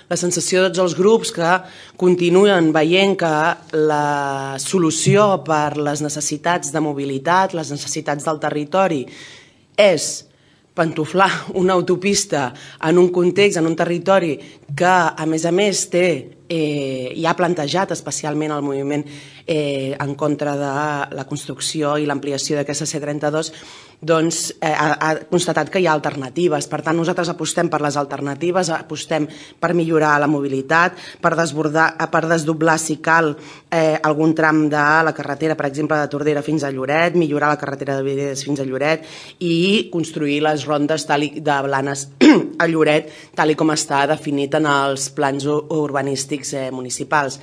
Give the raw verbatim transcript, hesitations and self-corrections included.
la sensació de tots els grups que continuen veient que la solució per les necessitats de mobilitat, les necessitats del territori, és pantoflar una autopista en un context, en un territori que, a més a més, té, eh, i ha plantejat especialment el moviment eh, en contra de la construcció i l'ampliació d'aquesta C trenta-dos, doncs eh, ha, ha constatat que hi ha alternatives. Per tant, nosaltres apostem per les alternatives, apostem per millorar la mobilitat, per desbordar, per desdoblar, si cal, eh, algun tram de la carretera, per exemple, de Tordera fins a Lloret, millorar la carretera de Vides fins a Lloret i construir les rondes tal i, de Blanes a Lloret, tal i com està definit en els plans urbanístics eh, municipals.